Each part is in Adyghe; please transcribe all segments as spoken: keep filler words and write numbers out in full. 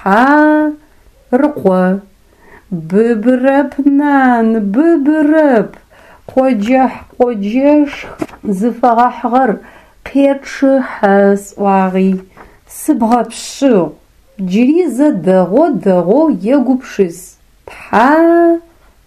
Тхьа-рыкъо. Быбырэп, нан, быбырэп. Къоджэхь-къоджэшх зыфэгъэхьыгъэр къечъыхьэ сӏуагъи, сыбгъэпшъыгъ. Джыри зэ дэгъоу-дэгъоу егупшыс. Тхьа-чэт.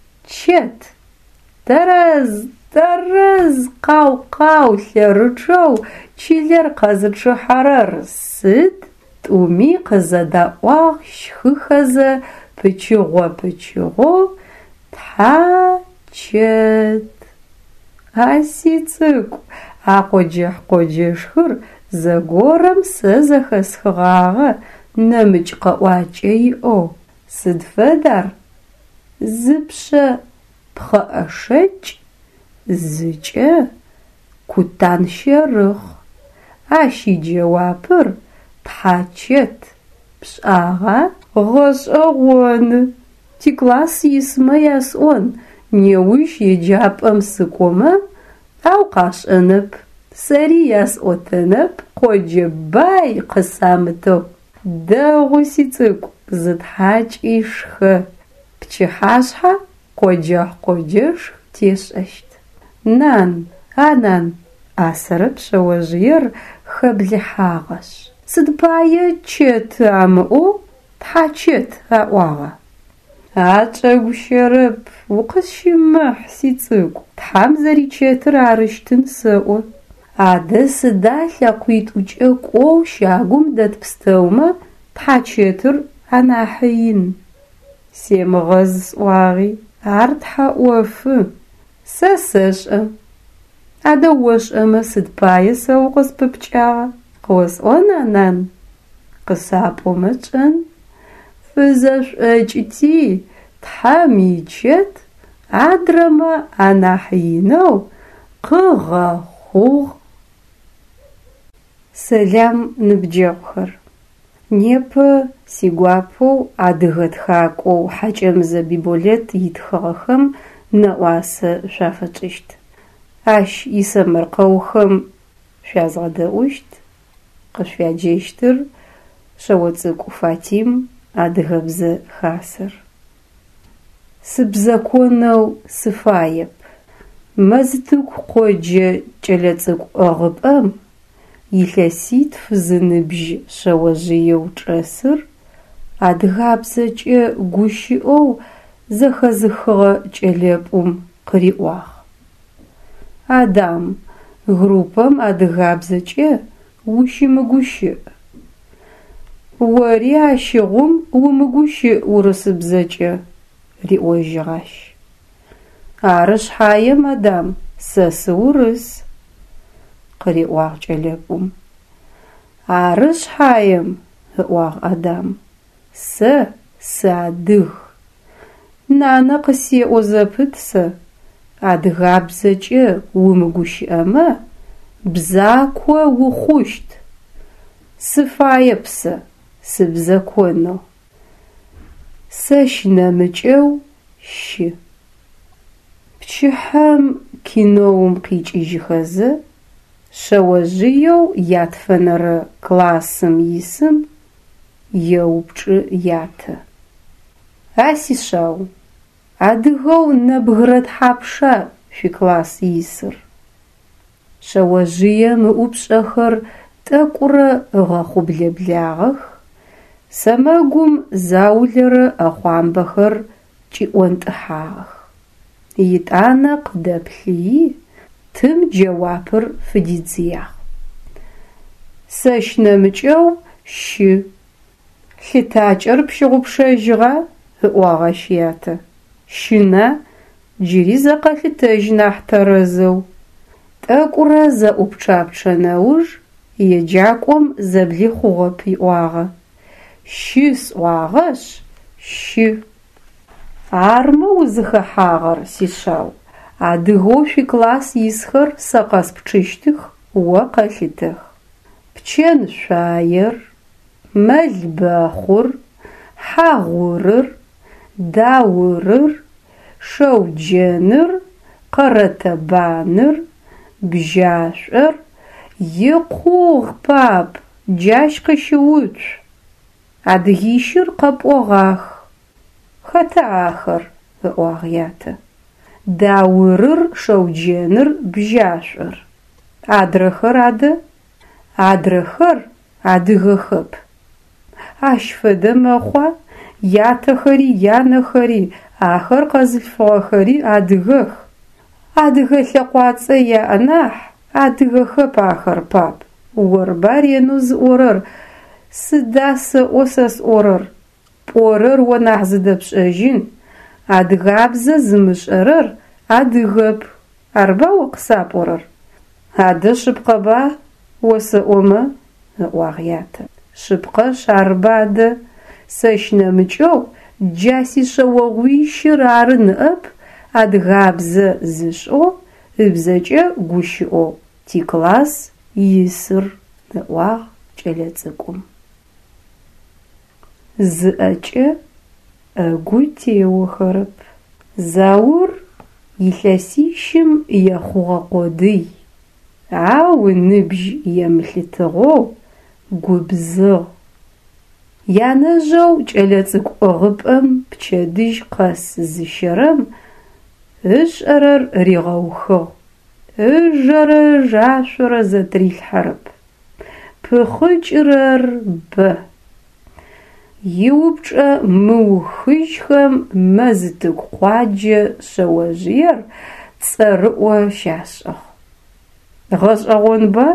Тэрэз, тэрэз, къау-къау лъэрычъэу чылэр къэзычъыхьэрэр сыд? Тӏуми къызэдаӏуагъ щхыхэзэ пычыгъо-пычыгъоу тхьа-чэт. А сицӏыкӏу, а къоджэхь-къоджэшхыр зэгорэм сэ зэхэсхыгъагъэ нэмыкӏ къэӏуакӏэ иӏэу. Сыд фэд ар? Зыпшъэ пхъэӏэшэкӏ, зыкӏэ къутан щэрыхъ. Ащ иджэуапыр тхьачэт. Пшӏагъа? Гъэшӏэгъоны. Тикласс исмэ ясӏон неущ еджапӏэм сыкӏомэ, ау къашӏэнэп, сэри ясӏотэнэп къоджэ бай къысамытэу. Дэгъу, сицӏыкӏу, зытхьакӏи шхэ. Пчыхьашъхьэ къоджэхь-къоджэшх тешӏэщт. Нан, а нан, ӏасэрэп шъэожъыер хэблыхьагъэшъ. Сыд пае чэты амыӏоу тхьачэт аӏуагъа? А чӏэгущэрэп, укъысщымыхь, сицӏыкӏу, тхьам зэричэтыр арыщтын сэӏо. Адэ сыда лъэкъуитӏукӏэ кӏоу щагум дэт пстэумэ тхьачэтыр анахьы ин? Семыгъэз сӏуагъи, ар тхьэ ӏофы. Сэ сэшӏэ. Адэ ошӏэмэ сыд пае сэ укъыспыпкӏагъа? Къыосӏона, нан? Къысапӏомэ шӏэн. Фызэшӏокӏыти тхьэм ичэт адрэмэ анахь инэу къыгъэхъугъ. Сэлам, ныбджэгъухэр! Непэ сигуапэу адыгэ тхакӏоу Хьакӏэмызэ Биболэт итхыгъэхэм нэӏуасэ шъуафэтшӏыщт. Ащ исэмэркъэухэм шъуязгъэдэӏущт, къышъуяджэщтыр Шъэоцӏыкӏу Фатим, Адыгэбзэ Хасэр. Сыбзэконэу сыфаеп. Мэзтыку къоджэ кӏэлэцӏыкӏу ӏыгъыпӏэм илъэситф зыныбжь шъэожъыеу чӏэсыр адыгабзэкӏэ гущыӏэу зэхэзыхыгъэ кӏэлэпӏум къыриӏуагъ: «Адам, группэм адыгабзэкӏэ ущымыгущыӏ. Ори ащыгъум умыгущыӏ урысыбзэкӏэ», – риӏожьыгъ ащ. «Ары шъхьаем, Адам, сэ сыурыс», – къыриӏуагъ кӏэлэпӏум. «Ары шъхьаем, – ыӏуагъ Адам, – сэ сыадыг. Нанэ къысеӏо зэпыт сэ: адыгабзэкӏэ умыгущыӏэмэ бзако ухъущт. Сыфаеп сэ сыбзэконэу. Сэщ нэмыкӏэу щы. Пчыхьэм киноум къикӏыжьыхэзэ шъэожъыеу ятфэнэрэ классым исым еупчӏы ятэ: «А сишъау, адыгэу нэбгырэ тхьапша шъуикласс исыр?» Шъэожъыем ыӏупшӏэхэр тӏэкӏурэ ыгъэхъублэблагъэх, сэмэгум заулэрэ ӏэхъуамбэхэр кӏиӏонтӏыхьагъэх. Етӏанэ къыдэплъыйи, тым джэуапыр фыдидзыягъ: «Сэщ нэмыкӏэу щы». «Лъытакӏэр пщыгъупшэжьыгъа?» – ыӏуагъ ащ ятэ. «Щына? Джыри зэ къэлъытэжь нахь тэрэзэу». Тӏэкӏурэ зэӏупчъапчъэ нэуж еджакӏом зэблихъугъэп иӏуагъэ: «Щы сӏуагъэшъ, щы». Армэ узыхэхьагъэр, сишъау, адыгэу шъуикласс исхэр сэ къэспчъыщтых, о къэлъытэх: пчэн шъуаер, мэлбэхъур, Хьагъурыр, Даурыр, Шэуджэныр, Къэрэтэбаныр, Бжьашӏор. Икъугъ, пап, джащ къыщыуцу! Адыгищыр къэпӏогъах. Хэта ахэр? – ыӏуагъ ятэ. Даурыр, Шэуджэныр, Бжьашӏор. Адрэхэр адэ? Адрэхэр адыгэхэп. Ащ фэдэ мэхъуа, ятэхэри, янэхэри, ахэр къэзылъфыгъэхэри адыгэх. Адыгэ лъэкъуацӏэ яӏ нахь, адыгэхэп ахэр, пап. Орба ренэу зыӏорэр: «Сыда сэӏо сэ сӏорэр? Пӏорэр о нахь зыдэпшӏэжьын, адыгабзэ зымышӏэрэр адыгэп», арба о къысапӏорэр? Адэ шъыпкъэба осэӏомэ? – ыӏуагъ ятэ. Шъыпкъэшъ арба адэ, сэщ нэмыкӏэу джа сишъэогъуищыр ары ныӏэп адыгабзэ зышӏэу, ыбзэкӏэ гущыӏэу тикласс исыр, – ыӏуагъ кӏэлэцӏыкӏум. Зы ӏэкӏэ ӏэгу теохэрэп. Заур илъэсищым ехъугъэ къодый, ау ыныбжь емылъытыгъэу губзыгъ. Янэжъэу кӏэлэцӏыкӏу ӏыгъыпӏэм пчэдыжь къэс зыщэрэм ышӏэрэр ригъэухыгъ, ыжэрэ ыжашъорэ зэтырилъхьэрэп. Пыхъыкӏырэр бэ. Иупчӏэ мыухыжьхэм Мэзтыку къуаджэ шъэожъыер цӏэрыӏо щашӏыгъ. Гъэшӏэгъонба,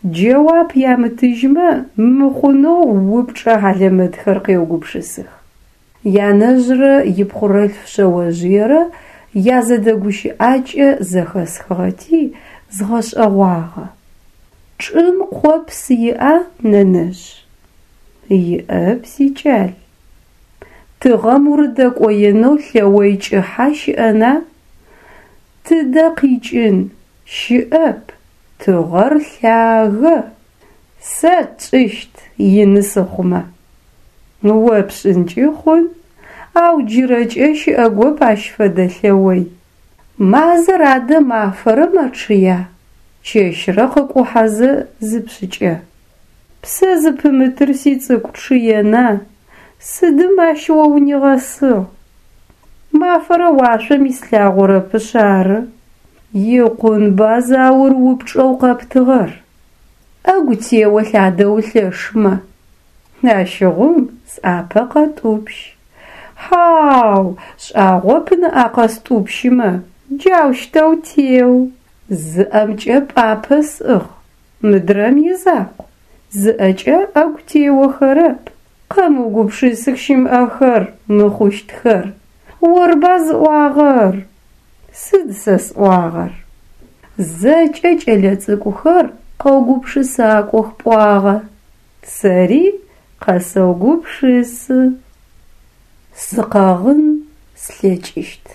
джэуап ямытыжьмэ мыхъунэу упчӏэ хьалэмэтхэр къеугупшысых. Янэжърэ ипхъорэлъф шъэожъыерэ язэдэгущыӏакӏэ зэхэсхыгъэти згъэшӏэгъуагъэ. Чӏым къопс иӏа, нэнэжъ? Иӏэп, сикӏал. Тыгъэм урыдэкӏоенэу лъэой кӏыхьа щыӏэна? Тыдэ къикӏын, щыӏэп, тыгъэр лъагэ. Сэ тшӏыщт, ины сыхъумэ. О пшӏынкӏи хъун, ау джырэкӏэ щыӏэгоп ащ фэдэ лъэой. Мазэр адэ мафэрэ мэчъыя, чэщрэ къыкӏухьэзэ зыпшӏыкӏэ? Псэ зыпымытыр, сицӏыкӏу, чъыена, сыдым ащ о унигъэсыгъ? Мафэрэ уашъом ислъагъорэпышъ ары. Икъунба, Заур, упчӏэу къэптыгъэр. Ӏэгу теолъ адэ улъэшмэ. Ащыгъум сӏапэ къэтӏупщ. Хьау, шӏагъоп ныӏа къэстӏупщымэ, джаущтэу теу. Зы ӏэмкӏэ пӏапэ сӏыгъ, мыдрэм изакъу. Зы ӏэкӏэ ӏэгу теохэрэп. Къэмыугупшысых щымыӏэхэр, мыхъущтхэр. Орба зыӏуагъэр? Сыд сэ сӏуагъэр? Зэкӏэ кӏэлэцӏыкӏухэр къэугупшысакӏох пӏуагъэ. Сэри къэсэугупшысы. Сыкъэгъын слъэкӏыщт.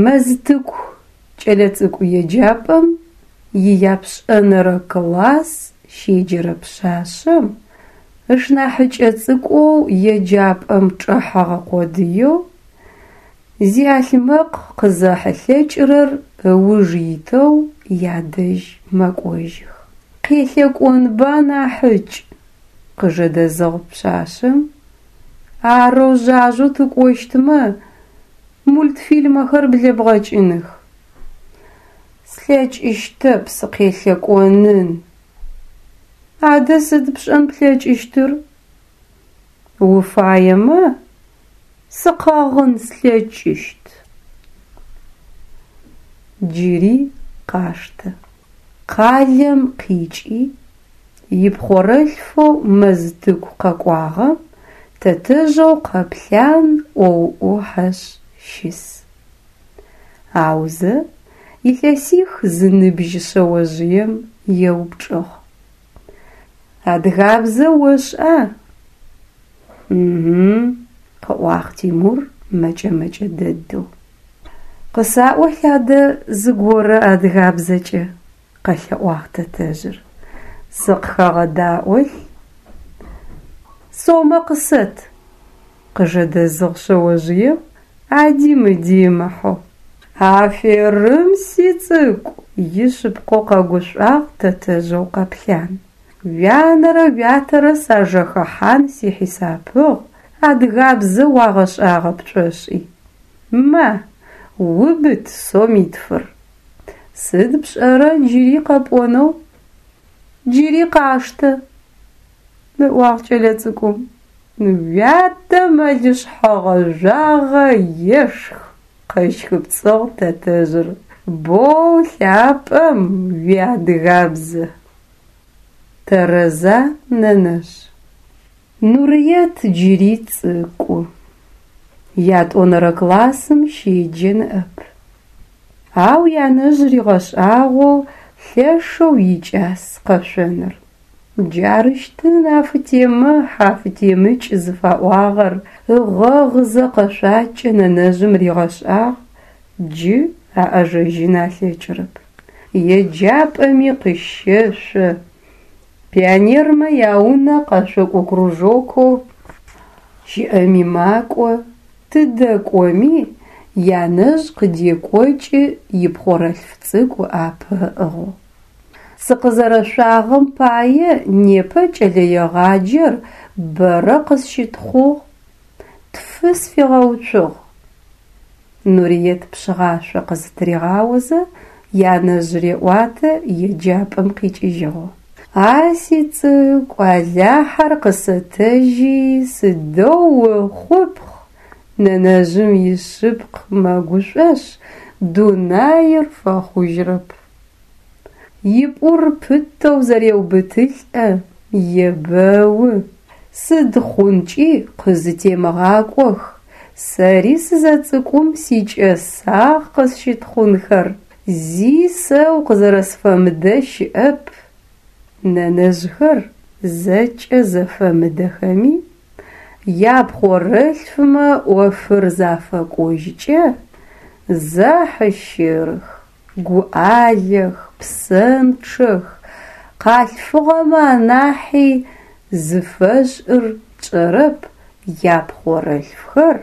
Мэзтыку кӏэлэцӏыкӏу еджапӏэм ияпшӏэнэрэ класс щеджэрэ пшъашъэм ышнахьыкӏэ цӏыкӏоу еджапӏэм чӏэхьэгъэ къодыеу, зиалъмэкъ къызэхьылъэкӏырэр ыуж итэу ядэжь мэкӏожьых. «Къелъэкӏонба, нахьыкӏ», – къыжэдэзыгъ пшъашъэм. «Арэу жъажъэу тыкӏощтмэ, мультфильмэхэр блэбгъэкӏыных». Слъэкӏыщтэп сыкъелъэкӏонын! Адэ сыд пшӏэн плъэкӏыщтыр? Уфаемэ, сыкъэгъын слъэкӏыщт. Джыри къаштэ. Къалэм къикӏи, ипхъорэлъфэу Мэзтыку къэкӏуагъэм тэтэжъэу Къэплъан ӏоу ӏохьэшъ щыс. Аузэ илъэсих зыныбжь шъэожъыем еупчӏыгъ: «Адыгабзэ ошӏа?» «Угу», – къыӏуагъ Тимур мэкӏэ-мэкӏэ дэдэу. «Къысаӏолъ адэ зыгорэ адыгабзэкӏэ», – къэлъэӏуагъ тэтэжъыр. «Сыкъыхэгъэдаӏолъ». «Сомэ къысэт», – къыжэдэзыгъ шъэожъыем ади-мыди ымыхьэу. «Аферым, сицӏыкӏу!» – ишъыпкъэу къэгушӏуагъ тэтэжъэу Къэплъан. Уянэрэ уятэрэ сажэхэхьан сихьисапыгъ, адыгабзэ уагъэшӏагъэп пшӏошӏи. Ма, убыт сомитфыр. Сыд пшӏэрэ джыри къэпӏонэу? Джыри къаштэ, ыӏуагъ кӏэлэцӏыкӏум. Уятэ мэлышъхьэ гъэжъуагъэ ешх, къэщхыпцӏыгъ тэтэжъыр. Боу лъапӏэм уиадыгабзэ. Тэрэза, нэнэжъ? Нурыет джыри цӏыкӏу. Ятӏонэрэ классым щеджэ ныӏэп. Ау янэжъ ригъэшӏагъэу лъэшэу икӏас къэшъоныр. Джарыщтын афытемыхь, афытемыкӏ зыфаӏуагъэр, ыгъэгъызэ къэшъуакӏэ нэнэжъым ригъэшӏагъ, джы аӏэжэжьын алъэкӏырэп. Еджапӏэми къыщэшъо, пионермэ яунэ къэшъокӏо кружокэу щыӏэми макӏо, тыдэ кӏоми янэжъ къыдекӏокӏы ипхъорэлъф цӏыкӏу ыӏапэ ыӏыгъэу. Сыкъызэрэшъуагъэм пае непэ кӏэлэегъаджэр бэрэ къысщытхъугъ, тфы сфигъэуцугъ. Нуриет пшъыгъашъо къызытыригъаозэ янэжъ реӏуатэ еджапӏэм къикӏыжьыгъэу. А сицӏыкӏу, Алахьэр къысэтэжьи, сыдэу ухъупхъ, нэнэжъым ишъыпкъ мэгушӏошъ, дунаир фэхъужьырэп. Ипӏур пытэу зэреубытылӏэ, ебэу: «Сыд хъункӏи къызытемыгъакӏох, сэри сызэцӏыкӏум сикӏэсагъ къысщытхъунхэр, зи сэ укъызэрэсфэмыдэ щыӏэп». Нэнэжъхэр зэкӏэ зэфэмыдэхэми, япхъорэлъфмэ ӏофыр зафэкӏожькӏэ, зэхьыщырых, гуӏалэх, псэнчъэх, къалъфыгъэмэ анахьи, зыфэшӏыр тшӏэрэп, япхъорэлъфхэр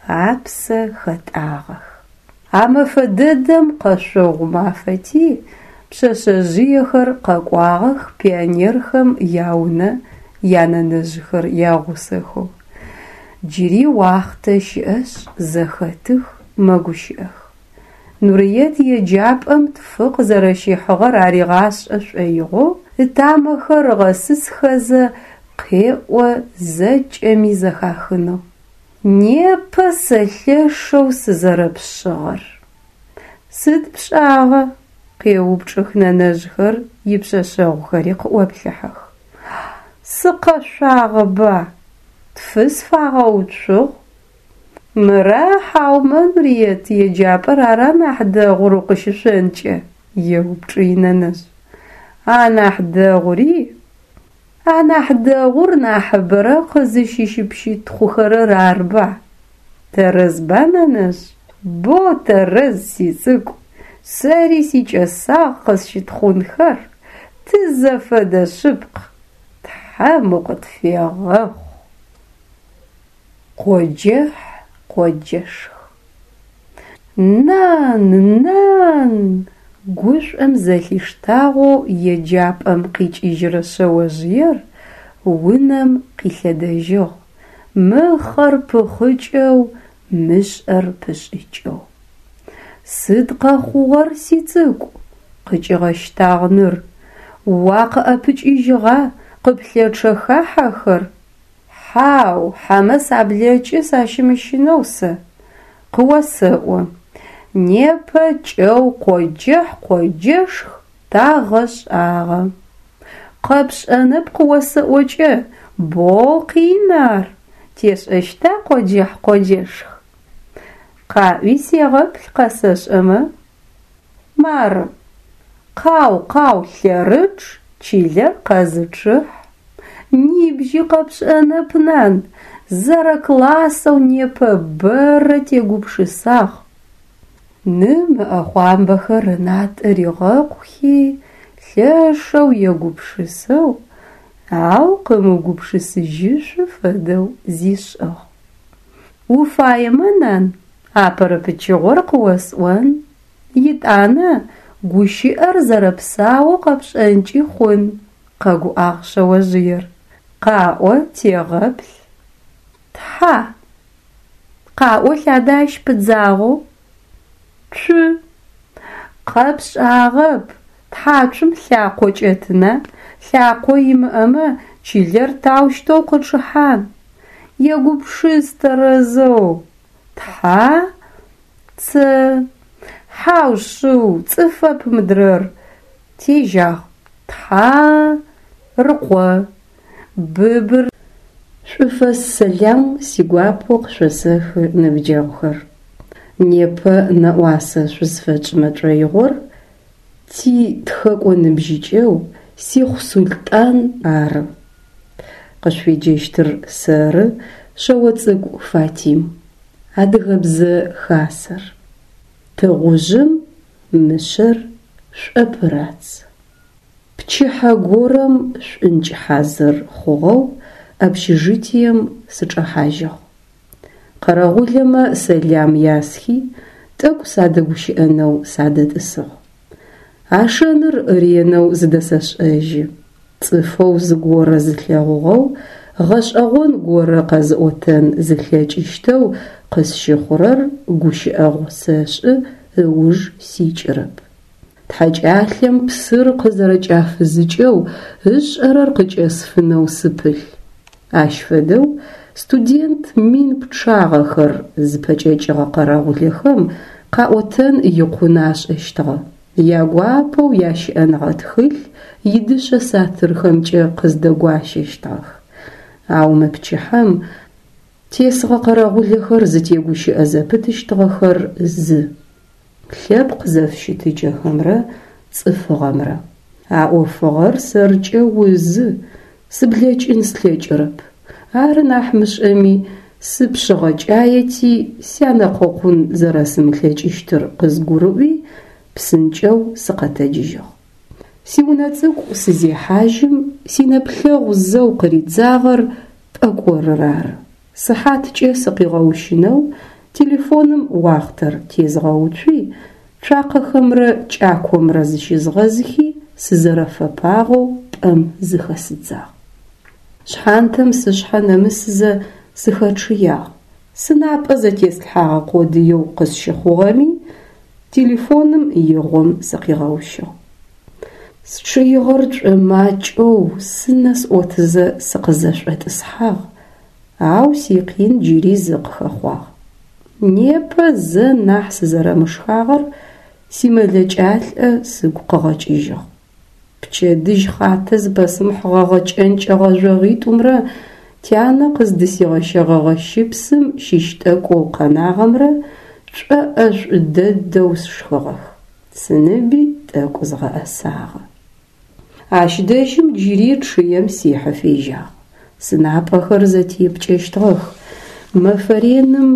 апсэ хэтӏагъэх. А мэфэ дэдэм къэшъогъу мафэти, пшъэшъэжъыехэр къэкӏуагъэх пионерхэм яунэ янэнэжъхэр ягъусэхэу. Джыри уахътэ щыӏэшъ, зэхэтых, мэгущыӏэх. Нурыет еджапӏэм тфы къызэрэщихьыгъэр аригъашӏэ шӏоигъоу ытамэхэр ыгъэсысхэзэ къеӏо зэкӏэми зэхахынэу: «Непэ сэ лъэшэу сызэрэпшъыгъэр». Сыд пшӏагъэ? Къеупчӏых нэнэжъхэр, ипшъэшъэгъухэри къыӏоплъыхьэх. Сыкъэшъуагъэба, тфы сфагъэуцугъ. Мыра хьаумэ Нурыет еджапӏэр ара нахь дэгъур укъыщышъонкӏэ? Еупчӏы инэнэжъ. Анахь дэгъури? Анахь дэгъур нахьыбэрэ къызыщыпщытхъухэрэр арба? Тэрэзба, нэнэжъ? Бо тэрэз, сицӏыкӏу. Сэри сикӏэсагъ къысщытхъунхэр, тызэфэдэ шъыпкъ, Тхьэм укъытфегъэхъу. Къоджэхь, къоджэшх. Нан, нан! Гушӏом зэлъиштагъэу еджапӏэм къикӏыжьырэ шъэожъыер унэм къилъэдэжьыгъ, мыхъэр пыхъыкӏэу, мышӏэр пышӏыкӏэу. Сыд къэхъугъэр, сицӏыкӏу? Къыкӏигъэщтагъ ныр. Уакъыӏэпыкӏыжьыгъа, къыплъэчъэха хьэхэр? Хьау, хьэмэ саблэкӏы сащымыщынэу сэ. Къыосэӏо, непэ кӏэу къоджэхь-къоджэшх тагъэшӏагъэ. Къэпшӏэнэп къыосэӏокӏэ, боу къин ар. Тешӏэщта къоджэхь-къоджэшх? Къаӏуи сегъэплъ къэсэшӏэмэ. Мары: къау-къау лъэрычъ, чылэр къэзычъыхь. Нибжьи къэпшӏэнэп, нан, зэрэклассэу непэ бэрэ тегупшысагъ. Ным ыӏэхъуамбэхэр ынатӏэ ригъэкъухи, лъэшэу егупшысэу, ау къымыугупшысыжьышъу фэдэу зишӏыгъ. Уфаемэ, нан, апэрэ пычыгъор къыосӏон, етӏанэ гущыӏэр зэрэпсаоу къэпшӏэнкӏи хъун, Къэгуӏагъ шъэожъыер. Къаӏо, тегъэплъ. Тхьа. Къаӏо лъадэ ащ пыдзагъэу. Цу. Къэпшӏагъэп. Тхьацум лъакъо кӏэтына, лъакъо имыӏэмэ чылэр таущтэу къычъыхьан? Егупшыс тэрэзэу. Тхьа ц. Хьау шъыу, цӏыфэп мыдрэр. Тежьагъ. Тхьа рыкъо. Быбыр. Шӏуфэс сэлам сигуапэу къышъосэхы, ныбджэгъухэр. Непэ нэӏуасэ шъузфэтшӏымэ тшӏоигъор ти тхэкӏо ныбжьыкӏэу Сихъу Султӏан ары. Къышъуеджэщтыр сэры, Шъэоцӏыкӏу Фатим. Адыгэбзэ хасэр. Тыгъужъым мышъэр шӏопырац. Пчыхьэ горэм шӏункӏ хьазыр хъугъэу общежитием сычӏэхьажьыгъ. Къэрэгъулэмэ сэлам ясхи, тӏэкӏу садэгущыӏэнэу садэтӏысыгъ. А шэныр ренэу зыдэсэшӏэжьы. Цӏыфэу зыгорэ зылъэгъугъэу, гъэшӏэгъон горэ къэзыӏотэн зылъэкӏыщтэу къысщыхъурэр гущыӏэгъу сэшӏы, ыуж сикӏырэп. Тхьакӏалъэм псыр къызэрэкӏафызыкӏэу ышӏэрэр къыкӏэсфынэу сыпылъ. Ащ фэдэу студент мин пчъагъэхэр зыпэкӏэкӏыгъэ къэрэгъулэхэм къаӏотэн икъун ашӏэщтыгъэ. Ягуапэу ящыӏэныгъэ тхылъ идышъэ сатырхэмкӏэ къыздэгуащэщтыгъэх. Ау мы пчыхьэм тесыгъэ къэрэгъулэхэр зытегущыӏэ зэпытыщтыгъэхэр зы: лъэпкъ зэфыщытыкӏэхэмрэ цӏыфыгъэмрэ. А ӏофыгъэр сэркӏэ узы, сыблэкӏын слъэкӏырэп. Ары нахь мышӏэми, сыпшъыгъэкӏаети, сянэкъокъун зэрэсымылъэкӏыщтыр къызгурыӏуи, псынкӏэу сыкъэтэджыжьыгъ. Сиунэ цӏыкӏу сызехьажьым, синэплъэгъу зэу къыридзагъэр пӏэкӏорыр ары. Сыхьаткӏэ сыкъигъэущынэу телефоным уахътэр тезгъэуцуи, цуакъэхэмрэ кӏакомрэ зыщызгъэзхи, сызэрэфэпагъэу пӏэм зыхэсыдзагъ. Шъхьантэм сышъхьэ нэмысызэ сыхэчъыягъ. Сынапӏэ зэтеслъхьагъэ къодыеу къысщыхъугъэми, телефоным игъом сыкъигъэущыгъ. Счъыигъэр шӏомакӏэу сынэ сӏотызэ сыкъызэшӏотӏысхьагъ, ау сикъин джыри зы къыхэхъуагъ. Непэ зэ нахь сызэрэмышхагъэр симэлэкӏалӏэ сыгу къыгъэкӏыжьыгъ. Пчэдыжь хъатэ зыпэсымыхьыгъэгъэ кӏэнкӏэ гъэжъогъитӏумрэ тянэ къыздысигъэщэгъэгъэ щыпсым щыщ тӏэкӏоу къэнагъэмрэ шӏоӏэшӏу дэдэу сшхыгъэх. Сыныби тӏэкӏу згъэӏэсагъэ. Ащ дэжьым джыри чъыем сихьэ фежьагъ. Сынапӏэхэр зэтепкӏэщтыгъэх. Мэфэ реным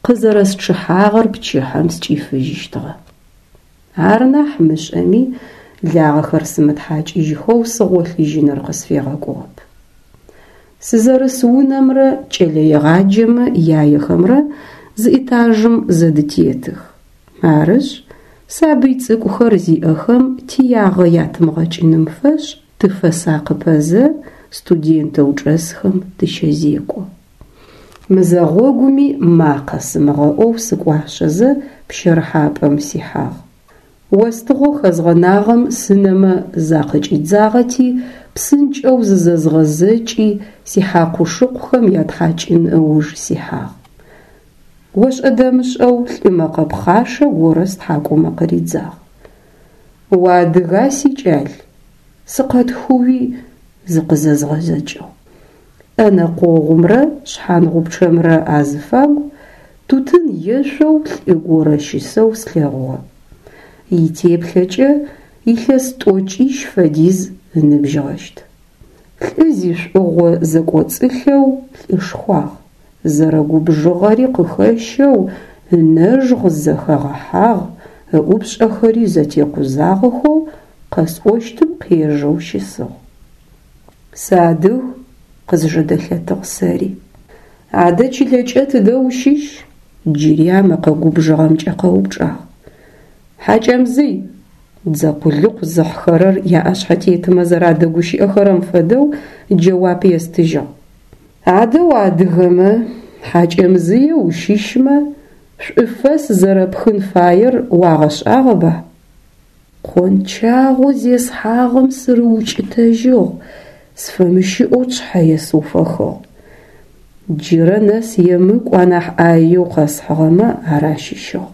къызэрэсчъыхьагъэр пчыхьэм скӏифыжьыщтыгъэ. Ар нахь мышӏэми, лагъэхэр сымытхьакӏыжьхэу сыгъолъыжьыныр къысфегъэкӏугъэп. Сызэрыс унэмрэ кӏэлэегъаджэмэ яехэмрэ зы этажым зэдытетых. Арышъ, сабый цӏыкӏухэр зиӏэхэм тиягъэ ятымыгъэкӏыным фэшӏ тыфэсакъыпэзэ студентэу чӏэсхэм тыщэзекӏо. Мызэгъогуми макъэ сымыгъэӏоу сыкӏуашъэзэ пщэрыхьапӏэм сихьагъ. Остыгъэу хэзгъэнагъэм сынэмэ закъыкӏидзагъэти, псынкӏэу зызэзгъэзэкӏи сихьакъу-шыкъухэм ятхьакӏын ыуж сихьагъ. Ошӏэ-дэмышӏэу лӏы мэкъэ пхъашэ горэ стхьакӏумэ къыридзагъ. Уадыга, сикӏал? Сыкъэтхыуи зыкъызэзгъэзэкӏыгъ. Ӏэнэ къогъумрэ шъхьангъупчъэмрэ азыфагу тутын ешъоу лӏы горэ щысэу слъэгъугъэ. Итеплъэкӏэ илъэс тӏокӏищ фэдиз ыныбжьыгъэщт. Лӏы зишӏугъо зэкӏоцӏылъэу лӏышхуагъ. Зэрэгубжыгъэри къыхэщэу ынэжгъ зэхэгъэхьагъ, ыӏупшӏэхэри зэтекъузагъэхэу къэсӏощтым къежэу щысыгъ. Сыадыг, къызжэдэлъэтыгъ сэри. Адэ чылэкӏэ тыдэ ущыщ? Джыри а мэкъэ губжыгъэмкӏэ къэупчӏагъ. Хьакӏэмзый, Дзэ къулыкъу зыхьхэрэр яӏэшъхьэтетымэ зэрадэгущыӏэхэрэм фэдэу джэуап естыжьыгъ. Адэ уадыгэмэ, Хьакӏэмзые ущыщмэ, шӏуфэс зэрэпхын фаер уагъэшӏагъэба? Къончагъэу зесхьагъэм сырыукӏытэжьыгъ, сфэмыщыӏэу тшъхьэ есыуфэхыгъ. Джырэ нэс емыкӏу анахь ӏаеу къэсхьыгъэмэ ар ащыщыгъ.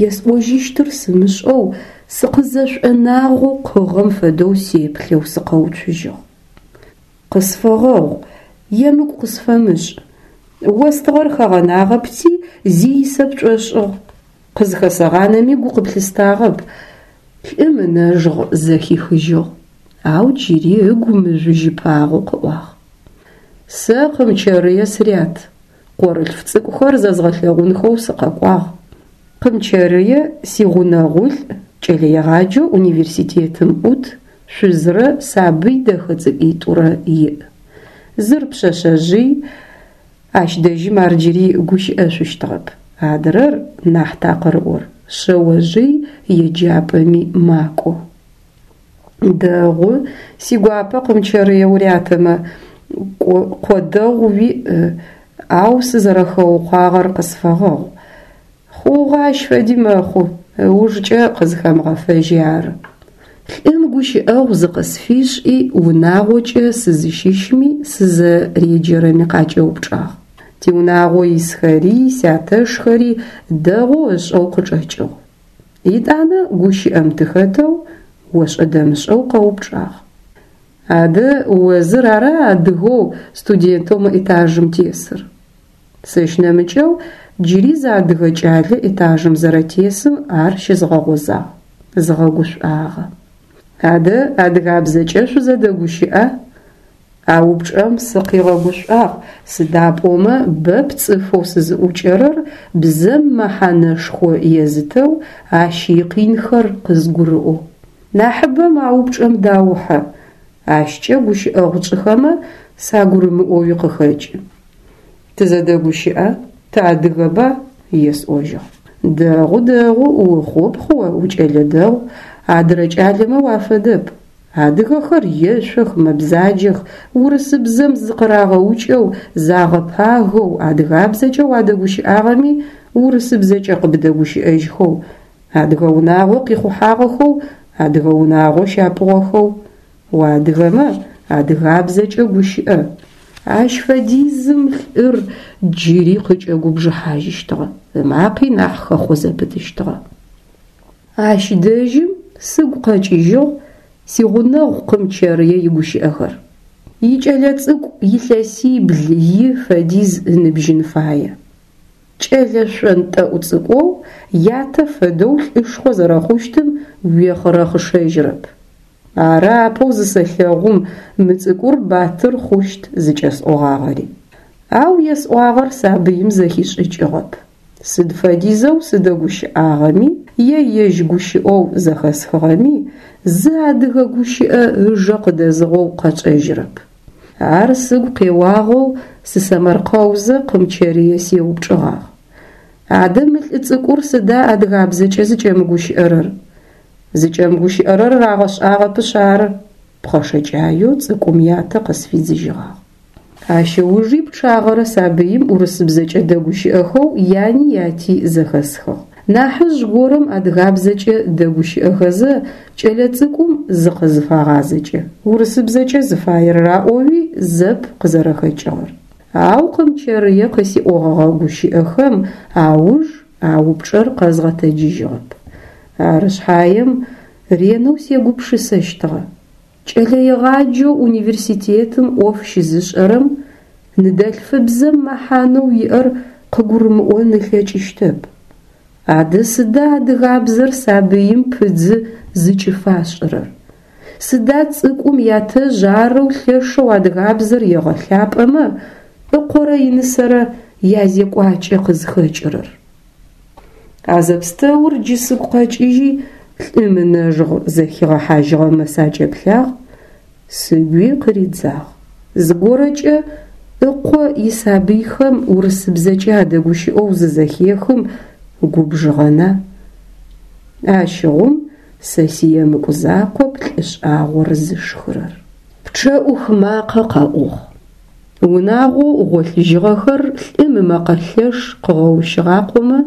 Есӏожьыщтыр сымышӏэу сыкъызэшӏонагъэу къыгъэм фэдэу сеплъэу сыкъэуцужьыгъ. Къысфэгъэгъу, емыкӏу къысфэмышӏ. Остыгъэр хэгъэнагъэпти, зи исэ пшӏошӏыгъ. Къызхэсэгъанэми гу къыплъыстагъэп. Лӏым ынэжгъ зэхихыжьыгъ, ау джыри ыгу мыжъужьыпагъэу къыӏуагъ. Сэ Къымчэрые сырят. Къорылъф цӏыкӏухэр зэзгъэлъэгъунхэу сыкъэкӏуагъ. Къымчэрые сигъунэгъулӏ, кӏэлэегъаджэу университетым ӏут, шъузрэ сабый дэхэ цӏыкӏуитӏурэ иӏ. Зыр пшъэшъэжъый, ащ дэжьым ар джыри гущыӏэшъущтыгъэп. Адрэр нахь такъырыӏор, шъэожъый еджапӏэми макӏо. Дэгъу, сигуапэ Къымчэрые урятэмэ, къо дэгъу уиӏ, ау сызэрэхэукъуагъэр къысфэгъэгъу. Хъугъэ ащ фэди мэхъу, ыужкӏэ къызхэмыгъэфэжьи ары. Лӏым гущыӏэгъу зыкъысфишӏи, унагъокӏэ сызыщыщми сызэреджэрэми къакӏэупчӏагъ. Тиунагъо исхэри, сятэшхэри дэгъоу ышӏэу къычӏэкӏыгъ. Етӏанэ гущыӏэм тыхэтэу ошӏэ-дэмышӏэу къэупчӏагъ. Адэ о зыр ара адыгэу студентэу мы этажым тесыр? Сэщ нэмыкӏэу джыри зы адыгэ кӏалэ этажым зэрэтесым ар щызгъэгъозагъ, згъэгушӏуагъэ. Адэ адыгабзэкӏэ шъузэдэгущыӏа? А упчӏэм сыкъигъэгушӏуагъ, сыда пӏомэ бэп цӏыфэу сызыӏукӏэрэр бзэм мэхьанэшхо езытэу ащ икъинхэр къызгурыӏоу. Нахьыбэм а упчӏэм даухьэ, ащкӏэ гущыӏэгъу тшӏыхэмэ сагурымыӏоуи къыхэкӏы. Тызэдэгущыӏэ, тыадыгэба? Есӏожьыгъ. Дэгъу, дэгъу, ухъупхъ о, укӏэлэ дэгъу, адырэ кӏалэмэ уафэдэп. Адыгэхэр ешъох, мэбзаджэх, урысыбзэм зыкъырагъэукӏэу, загъэпагэу, адыгабзэкӏэ уадэгущыӏагъэми урысыбзэкӏэ къыбдэгущыӏэжьхэу, адыгэ унагъо къихъухьагъэхэу, адыгэ унагъо щапӏугъэхэу. Уадыгэмэ адыгабзэкӏэ гущыӏэ. Ащ фэдизым лӏыр джыри къыкӏэгубжыхьажьыщтыгъэ, ымакъи нахь хэхъо зэпытыщтыгъэ. Ащ дэжьым сыгу къэкӏыжьыгъ сигъунэгъу Къымчэрые игущыӏэхэр. Икӏэлэцӏыкӏу илъэсибл и фэдиз ыныбжьын фае. Кӏэлэ шъонтӏэӏу цӏыкӏоу ятэ фэдэу лӏышхо зэрэхъущтым уехъырэхъышэжьырэп. Ары апэу зысэлъэгъум мы цӏыкӏур батыр хъущт зыкӏэсӏогъагъэри. Ау есӏуагъэр сабыим зэхишӏыкӏыгъэп. Сыд фэдизэу сыдэгущыӏагъэми е ежь гущыӏэу зэхэсхыгъэми зы адыгэ гущыӏэ ыжэ къыдэзыгъэу къэчӏэжьырэп. Ар сыгу къеуагъэу сысэмэркъэузэ Къымчэрые сеупчӏыгъагъ. Адэ мы лӏы цӏыкӏур сыда адыгабзэкӏэ зыкӏэмыгущыӏэрэр? Зыкӏэмыгущыӏэрэр рагъэшӏагъэпышъ ары, пхъэшэкӏаеу цӏыкӏум ятэ къысфидзыжьыгъагъ. Ащ ыужи пчъагъэрэ сабыим урысыбзэкӏэ дэгущыӏэхэу яни яти зэхэсхыгъ. Нахьыжъ горэм адыгабзэкӏэ дэгущыӏэхэзэ кӏэлэцӏыкӏум зыкъызыфагъазэкӏэ, урысыбзэкӏэ зыфаер раӏоуи зэп къызэрэхэкӏыгъэр. Ау Къымчэрые къысиӏогъэгъэ гущыӏэхэм ауж а упчӏэр къэзгъэтэджыжьыгъэп. Ары шъхьаем ренэу сегупшысэщтыгъэ. Кӏэлэегъаджэу университетым ӏоф щызышӏэрэм ныдэлъфыбзэм мэхьанэу иӏэр къыгурымыӏон ылъэкӏыщтэп. Адэ сыда адыгабзэр сабыим пыдзы зыкӏыфашӏырэр? Сыда цӏыкӏум ятэжъ арэу лъэшэу адыгабзэр егъэлъапӏэмэ, ыкъорэ инысэрэ язекӏуакӏэ къызхэкӏырэр? А зэпстэур джы сыгу къэкӏыжьи, лӏым ынэжгъ зэхигъэхьажьыгъэмэ сакӏэплъагъ, сыгуи къыридзагъ. Зыгорэкӏэ ыкъо исабыйхэм урысыбзэкӏэ адэгущыӏэу зызэхехым губжыгъэна? Ащыгъум Сэ сиемыкӏу закъоп лӏы шӏагъор зышхырэр. Пчъэӏух макъэ къэӏугъ. Унагъоу гъолъыжьыгъэхэр лӏым ымэкъэ лъэш къыгъэущыгъакъомэ,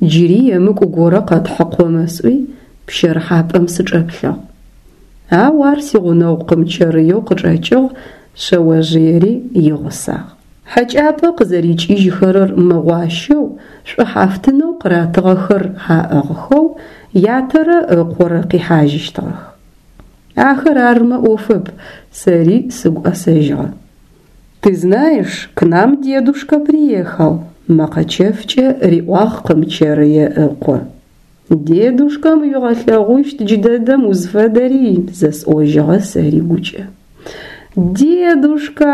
джыри емыкӏу горэ къэтхьыкъомэ сӏуи, пщэрыхьапӏэм сычӏэплъыгъ. Ау ар сигъунэгъу Къымчэрыеу къычӏэкӏыгъ, шъэожъыери игъусагъ. Хьэкӏапӏэ къызэрикӏыжьхэрэр мыгъуащэу, шӏухьафтынэу къыратыгъэхэр аӏыгъхэу ятэрэ ыкъорэ къихьажьыщтыгъэх. Ахэр армэ ӏофэп, сэри сыгу ӏэсэжьыгъэ. Ты знаешь, к нам дедушка приехал, мэкъэ чэфкӏэ риӏуагъ Къымчэрые ыкъо. Дедушкэм уигъэлъэгъущт джыдэдэм узфэдэри, зэсӏожьыгъэ сэри гукӏэ. Дедушка!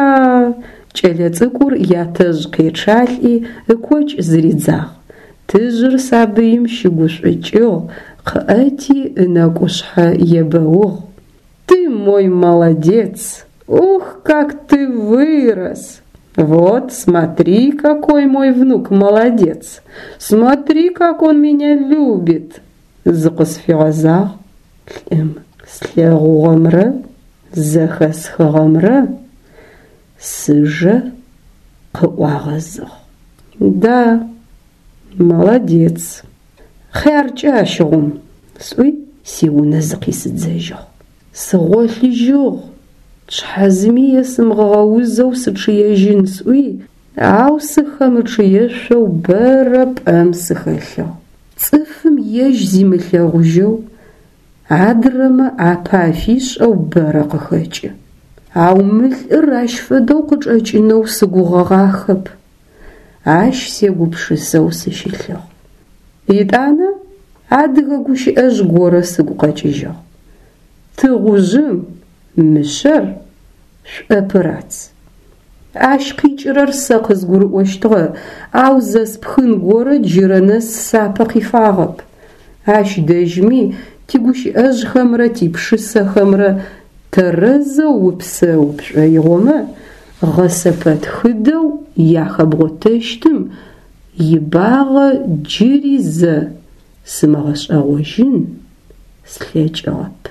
Кӏэлэцӏыкӏур ятэжъ къечъалӏи ыкокӏ зыридзагъ. Тыжъыр сабыим щыгушӏукӏыгъ, къыӏэти ынэкӏушъхьэ ебэугъ. Ты мой молодец! Ох, как ты вырос! Вот, смотри, какой мой внук молодец! Смотри, как он меня любит! Зыкъысфигъэзагъ лӏым. Слъэгъугъэмрэ зэхэсхыгъэмрэ сыжэ къыӏуагъэзыгъ. Да, молодец. Хъяркӏэ ащыгъум, сӏуи сиунэ зыкъисыдзэжьыгъ. Сыгъолъыжьыгъ, шъхьэ зыми есымыгъэузэу сычъыежьын сӏуи, ау сыхэмычъыешъоу бэрэ пӏэм сыхэлъыгъ. Цӏыфым ежь зимылъэгъужьэу, адрэмэ ӏапэ афишӏэу бэрэ къыхэкӏы. Ау мы лӏыр ащ фэдэу къычӏэкӏынэу сыгугъэгъахэп. Ащ сегупшысэу сыщылъыгъ. Етӏанэ адыгэ гущыӏэжъ горэ сыгу къэкӏыжьыгъ. Тыгъужъым мышъэр шӏопырац. Ащ къикӏырэр сэ къызгурыӏощтыгъэ, ау зэспхын горэ джырэ нэс сапэ къифагъэп. Ащ дэжьми тигущыӏэжъхэмрэ типшысэхэмрэ тэрэзэу упсэу пшӏоигъомэ, гъэсэпэтхыдэу яхэбгъотэщтым ибагъэ джыри зэ сымыгъэшӏэгъожьын слъэкӏыгъэп.